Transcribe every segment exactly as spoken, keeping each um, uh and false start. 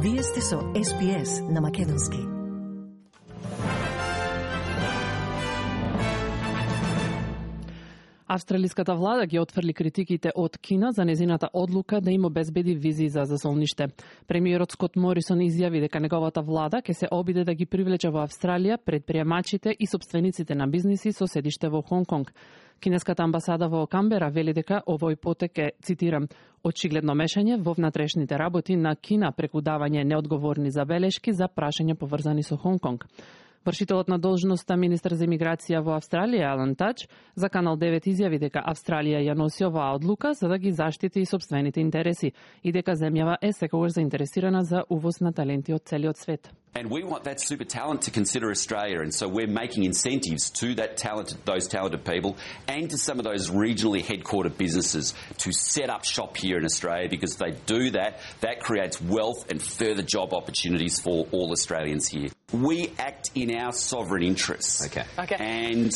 Вие сте со Ес Би Ес на Македонски. Австралиската влада ги отфрли критиките од Кина за незината одлука да им обезбеди визи за засолниште. Премиерот Скот Морисон изјави дека неговата влада ќе се обиде да ги привлече во Австралија предприемачите и собствениците на бизниси со седиште во Хонг Конг. Кинеската амбасада во Камбера вели дека овој потек е, цитирам, очигледно мешање во внатрешните работи на Кина преку давање неодговорни забелешки за прашања поврзани со Хонг Конг. Вршителот на должноста министер за имиграција во Австралија, Алан Тач, за Канал девет изјави дека Австралија ја носи оваа одлука за да ги заштити и собствените интереси и дека земјава е секогаш заинтересирана за увоз на таленти од целиот свет. And we want that super talent to consider Australia, and so we're making incentives to that talented, those talented people and to some of those regionally headquartered businesses to set up shop here in Australia, because if they do that, that creates wealth and further job opportunities for all Australians here. We act in our sovereign interests. Okay. Okay. And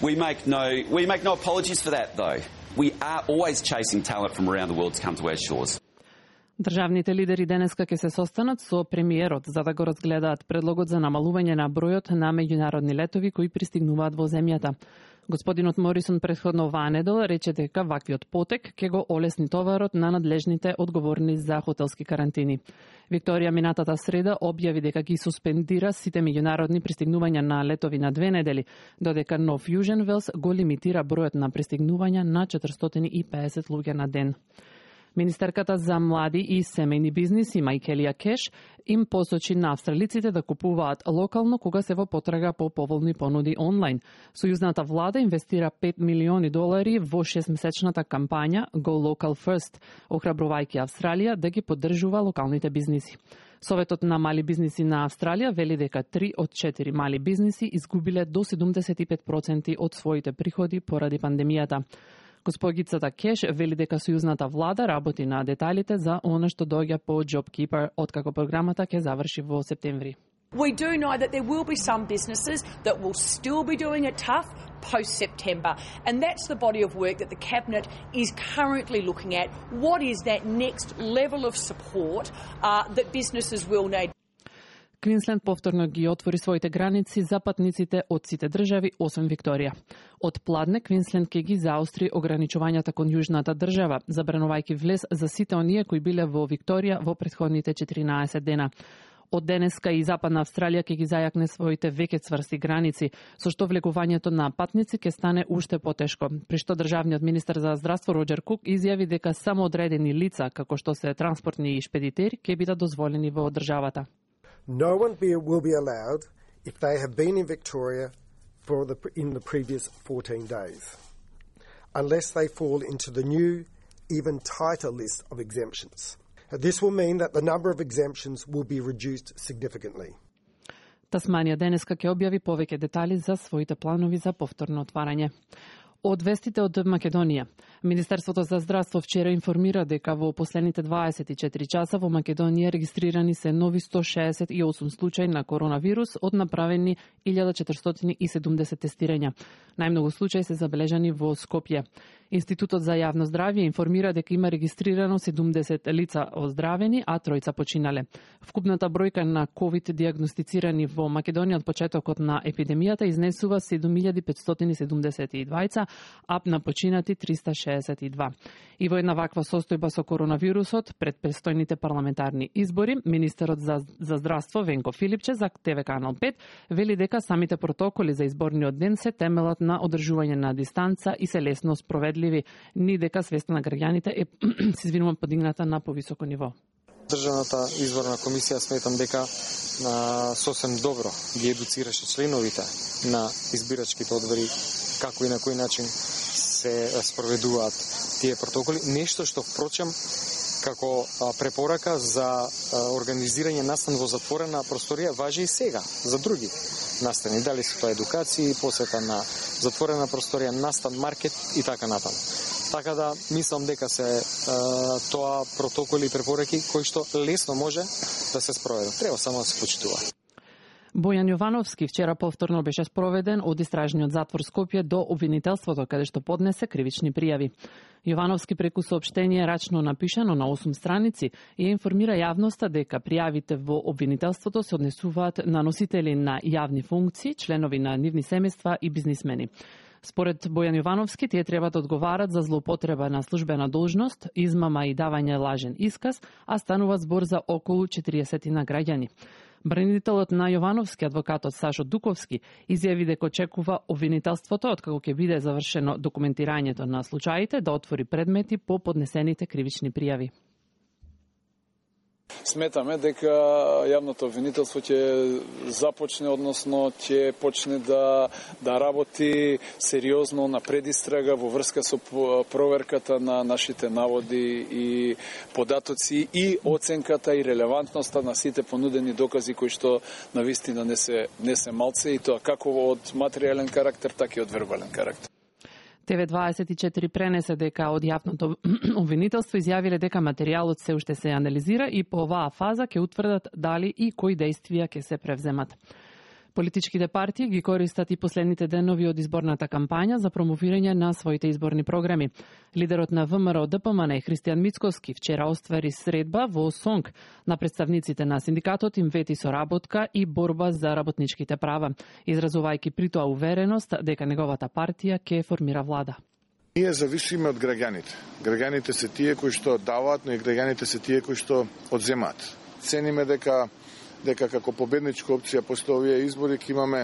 we make no we make no apologies for that, though. We are always chasing talent from around the world to come to our shores. Државните лидери денеска ќе се состанат со премиерот за да го разгледаат предлогот за намалување на бројот на меѓународни летови кои пристигнуваат во земјата. Господинот Морисон претходно оваа недела рече дека ваквиот потек ќе го олесни товарот на надлежните одговорни за хотелски карантини. Викторија минатата среда објави дека ги суспендира сите меѓународни пристигнувања на летови на две недели, додека нов Јужен Велс го лимитира бројот на пристигнувања на четиристотини и педесет луѓе на ден. Министерката за млади и семејни бизниси Мајкелија Кеш им посочи на австралиците да купуваат локално кога се во потрага по поволни понуди онлайн. Сојузната влада инвестира пет милиони долари во шестмесечната кампања Go Local First, охрабрувајќи Австралија да ги поддржува локалните бизниси. Советот на мали бизниси на Австралија вели дека три од четири мали бизниси изгубиле до седумдесет и пет проценти од своите приходи поради пандемијата. Госпогицата Кеш вели дека сојузната влада работи на деталите за она што доаѓа по JobKeeper откако програмата ќе заврши во септември. We do know that there will be some businesses that will still be doing it tough post-September, and that's the body of work that the Cabinet is currently looking at. What is that next level of support uh, that businesses will need? Квинсленд повторно ги отвори своите граници за патниците од сите држави, освен Викторија. Од пладне, Квинсленд ќе ги заостри ограничувањата кон јужната држава, забранувајќи влез за сите оние кои биле во Викторија во претходните четиринаесет дена. Од денеска и Западна Австралија ќе ги зајакне своите веќе цврсти граници, со што влегувањето на патници ќе стане уште потешко. При што државниот министер за здравство Роџер Кук изјави дека само одредени лица, како што се транспортни и шпедитери, ќе бидат дозволени во државата. No one be, will be allowed if they have been in Victoria for the, in the previous fourteen days, unless they fall into the new, even tighter list of exemptions. This will mean that the number of exemptions will be reduced significantly. Тасманија денеска ќе објави повеќе детали за своите планови за повторно отварање. Од вестите од Македонија. Министерството за здравство вчера информира дека во последните дваесет и четири часа во Македонија регистрирани се нови сто шеесет и осум случаи на коронавирус од направени илјада четиристотини и седумдесет тестирања. Најмногу случаи се забележани во Скопје. Институтот за јавно здравје информира дека има регистрирано седумдесет лица оздравени, а тројца починале. Вкупната бројка на ковид диагностицирани во Македонија од почетокот на епидемијата изнесува седум илјади петстотини седумдесет и двајца, а на починати триста шеесет и два. И во една ваква состојба со коронавирусот пред престојните парламентарни избори, министерот за, за здравство Венко Филипче за Те Ве Канал пет вели дека самите протоколи за изборниот ден се темелат на одржување на дистанца и се лесно спроведливи, ни дека свеста на граѓаните е се извинувам подигната на повисоко ниво. Државната изборна комисија сметам дека на сосем добро ги едуцираше членовите на избирачките одбори како и на кој начин се спроведуваат тие протоколи. Нешто што впрочем како препорака за организирање настан во затворена просторија важи и сега за други настани. Дали се тоа едукации, посета на затворена просторија, настан, маркет и така натаму. Така да мислам дека се е, тоа протоколи и препораки кои што лесно може да се спроведат. Треба само да се почитува. Бојан Јовановски вчера повторно беше спроведен од истражниот затвор Скопје до обвинителството, каде што поднесе кривични пријави. Јовановски преку соопштение рачно напишано на осум страници ја информира јавноста дека пријавите во обвинителството се однесуваат на носители на јавни функции, членови на нивни семејства и бизнисмени. Според Бојан Јовановски, тие треба да одговарат за злоупотреба на службена должност, измама и давање лажен исказ, а станува збор за околу четириесет граѓани. Бранителот на Јовановски, адвокатот Сашо Дуковски, изјави дека очекува обвинителството, откако ќе биде завршено документирањето на случаите, да отвори предмети по поднесените кривични пријави. Сметаме дека јавното обвинителство ќе започне, односно ќе почне да да работи сериозно на предистрага во врска со проверката на нашите наводи и податоци и оценката и релевантноста на сите понудени докази кои што навистина не се не се малце, и тоа како од материјален карактер, така и од вербален карактер. Т В дваесет и четири пренесе дека од јавното обвинителство изјавиле дека материјалот се уште се анализира и по оваа фаза ќе утврдат дали и кои действија ќе се превземат. Политичките партии ги користат и последните денови од изборната кампања за промовирање на своите изборни програми. Лидерот на В М Р Д П М Н Христијан Мицкоски вчера оствари средба во Сонг на представниците на синдикатот им вети соработка и борба за работничките права, изразувајќи при тоа увереност дека неговата партија ќе формира влада. Ние зависиме од граѓаните. Граѓаните се тие кои што даваат, но и граѓаните се тие кои што одземаат. Цениме дека дека како победничка опција после овие избори ќе имаме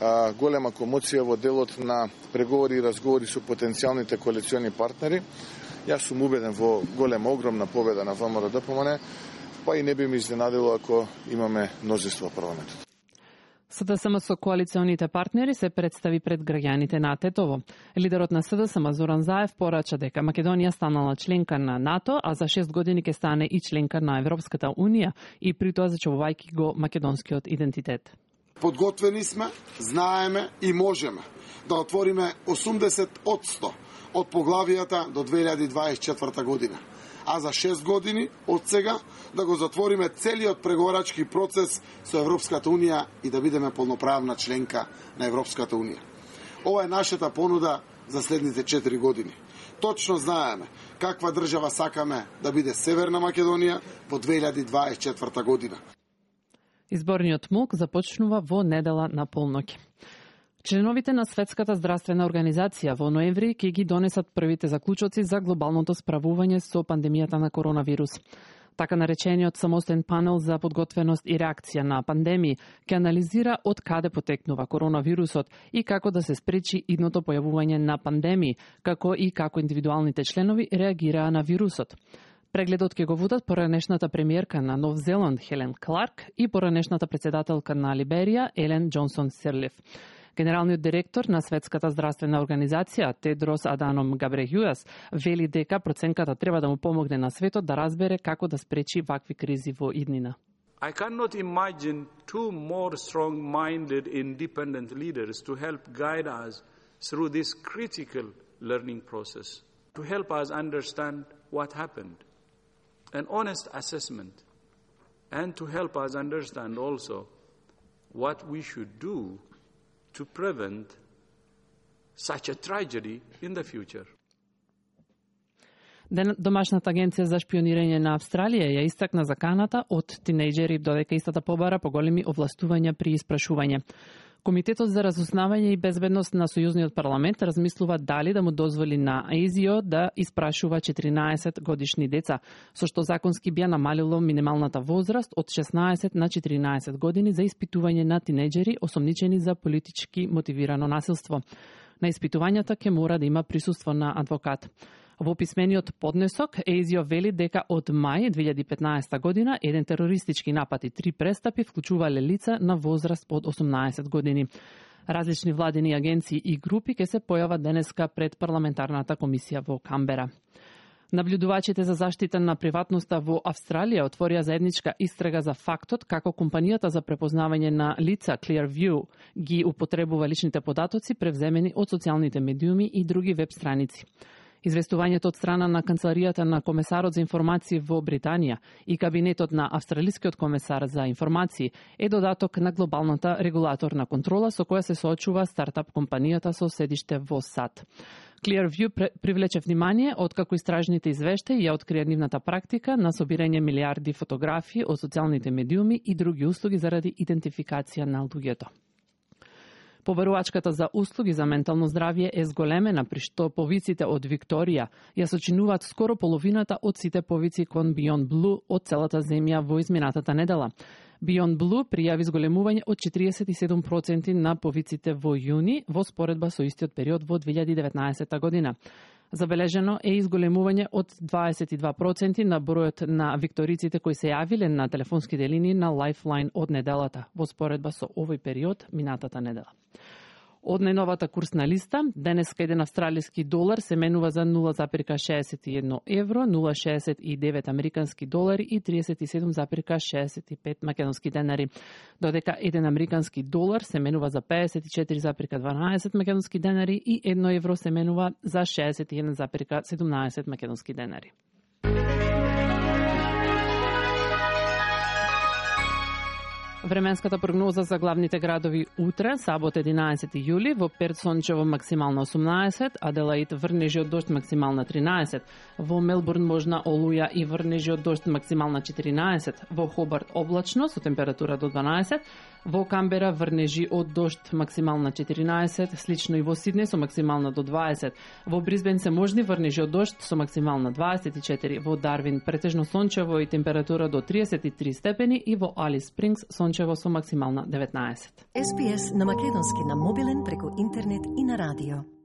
а, голема комоција во делот на преговори и разговори со потенцијалните коалициони партнери. Јас сум убеден во голема, огромна победа на В М Р Д П М Н, па и не би ме изненадило ако имаме мнозинство во парламентот. С Д С М со коалиционите партнери се представи пред граѓаните на Тетово. Лидерот на С Д С М Зоран Заев порача дека Македонија станала членка на НАТО, а за шест години ќе стане и членка на Европската Унија, и при тоа зачувувајќи го македонскиот идентитет. Подготвени сме, знаеме и можеме да отвориме осумдесет одсто од поглавијата до две илјади дваесет и четврта година, а за шест години од сега да го затвориме целиот преговарачки процес со Европската Унија и да бидеме полноправна членка на Европската Унија. Ова е нашата понуда за следните четири години. Точно знаеме каква држава сакаме да биде Северна Македонија во две илјади дваесет и четврта година. Изборниот МОК започнува во недела на полноќ. Членовите на Светската здравствена организација во ноември ќе ги донесат првите заклучоци за глобалното справување со пандемијата на коронавирус. Така наречениот самостен панел за подготвеност и реакција на пандемии ќе анализира од каде потекнува коронавирусот и како да се спречи идното појавување на пандемии, како и како индивидуалните членови реагираа на вирусот. Прегледот ќе го водат поранешната премиерка на Нов Зеланд Хелен Кларк и поранешната председателка на Либерија Елен Џонсон Сирлиф. Генералниот директор на Светската здравствена организација Тедрос Аданом Габрејеsus вели дека проценката треба да му помогне на светот да разбере како да спречи вакви кризи во иднина. I cannot imagine two more strong-minded independent leaders to help guide us through this critical learning process, to help us understand what happened, an honest assessment, and to help us understand also what we should do to prevent such a tragedy in the future. Домашната агенција за шпионирање на Австралија ја истакна заканата од тинејџери додека истата побара поголеми овластувања при испрашување. Комитетот за разузнавање и безбедност на Сојузниот парламент размислува дали да му дозволи на А З О да испрашува четиринаесет годишни деца, со што законски би намалило минималната возраст од шеснаесет на четиринаесет години за испитување на тинејџери осомничени за политички мотивирано насилство. На испитувањата ќе мора да има присуство на адвокат. Во писмениот поднесок А З О вели дека од мај две илјади и петнаесета година еден терористички напад и три престапи вклучувале лица на возраст под осумнаесет години. Различни владени агенции и групи ќе се појават денеска пред парламентарната комисија во Камбера. Наблюдувачите за заштита на приватноста во Австралија отворија заедничка истрага за фактот како компанијата за препознавање на лица Clearview ги употребува личните податоци превземени од социјалните медиуми и други веб страници. Известувањето од страна на канцеларијата на комесарот за информации во Британија и кабинетот на австралискиот комесар за информации е додаток на глобалната регулаторна контрола со која се соочува стартап компанијата со седиште во САД. Clearview привлече внимание откако истражните извештаи ја открија нивната практика на собирање милиарди фотографии од социјалните медиуми и други услуги заради идентификација на луѓето. Побарувачката за услуги за ментално здравје е зголемена, при што повиците од Викторија ја сочинуваат скоро половината од сите повици кон Beyond Blue од целата земја во изминатата недела. Beyond Blue пријави зголемување од четириесет и седум проценти на повиците во јуни во споредба со истиот период во две илјади и деветнаесетта година. Забележено е изголемување од дваесет и два проценти на бројот на викториците кои се јавиле на телефонските линии на Lifeline од неделата, во споредба со овој период минатата недела. Од најновата курсна листа, денеска еден австралиски долар се менува за нула запирка шеесет и едно евро, нула запирка шеесет и девет американски долари и триесет и седум запирка шеесет и пет македонски денари, додека еден американски долар се менува за пеесет и четири запирка дванаесет македонски денари и едно евро се менува за шеесет и еден запирка седумнаесет македонски денари. Временската прогноза за главните градови утре, сабот единаесети јули, во Перт сончево максимално осумнаесет, Аделаид врнежи од дожд максимална тринаесет, во Мелбурн можна олуја и врнежи од дожд максимална четиринаесет, во Хобарт облачно со температура до дванаесет, во Камбера врнежи од дожд максимална четиринаесет, слично и во Сиднеј со максимална до дваесет, во Брисбен се можни врнежи од дожд со максимална дваесет и четири, во Дарвин претежно сончево и температура до триесет и три степени и во Алис Спрингс сончево со максимална деветнаесет. Ес Би Ес на македонски на мобилен преку интернет и на радио.